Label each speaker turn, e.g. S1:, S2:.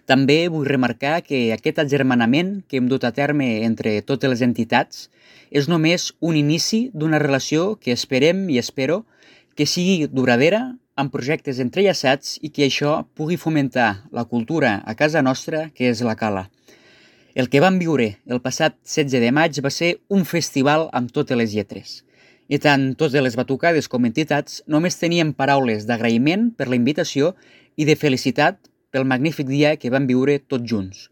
S1: També vull remarcar que aquest agermanament que hem dut a terme entre totes les entitats és només un inici d'una relació que esperem i espero que sigui duradora, amb projectes entrellaçats i que això pugui fomentar la cultura a casa nostra, que és la Cala. El que vam viure el passat 16 de maig va ser un festival amb totes les lletres. I tant totes les batucades com entitats només tenien paraules d'agraïment per la invitació i de felicitat pel magnífic dia que vam viure tots junts.